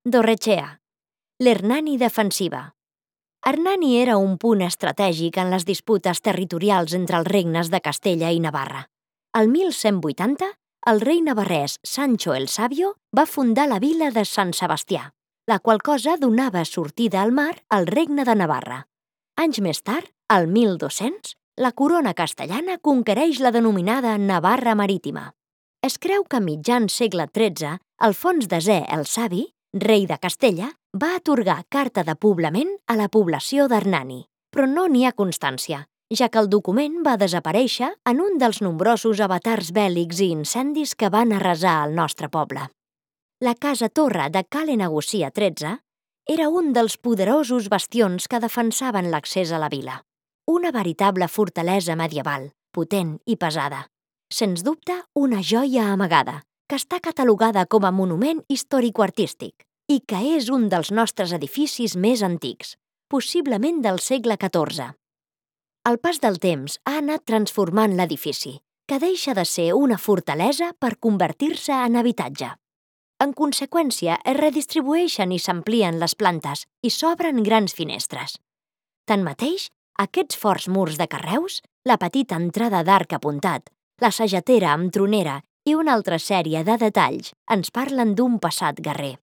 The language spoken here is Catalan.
Dorrechea, l'Hernani defensiva. Hernani era un punt estratègic en les disputes territorials entre els regnes de Castella i Navarra. El 1180, el rei navarrès Sancho el Sabio va fundar la vila de Sant Sebastià, la qual cosa donava sortida al mar al regne de Navarra. Anys més tard, al 1200, la corona castellana conquereix la denominada Navarra Marítima. Es creu que a mitjans segle XIII, Alfons X el Savi, rei de Castella, va atorgar carta de poblament a la població d'Hernani, però no n'hi ha constància, ja que el document va desaparèixer en un dels nombrosos avatars bèl·lics i incendis que van arrasar el nostre poble. La casa-torre de Cale Negocia XIII era un dels poderosos bastions que defensaven l'accés a la vila. Una veritable fortalesa medieval, potent i pesada. Sens dubte, una joia amagada, que està catalogada com a monument històrico-artístic i que és un dels nostres edificis més antics, possiblement del segle XIV. El pas del temps ha anat transformant l'edifici, que deixa de ser una fortalesa per convertir-se en habitatge. En conseqüència, es redistribueixen i s'amplien les plantes i s'obren grans finestres. Tanmateix, aquests forts murs de carreus, la petita entrada d'arc apuntat, la sagetera amb tronera i una altra sèrie de detalls ens parlen d'un passat guerrer.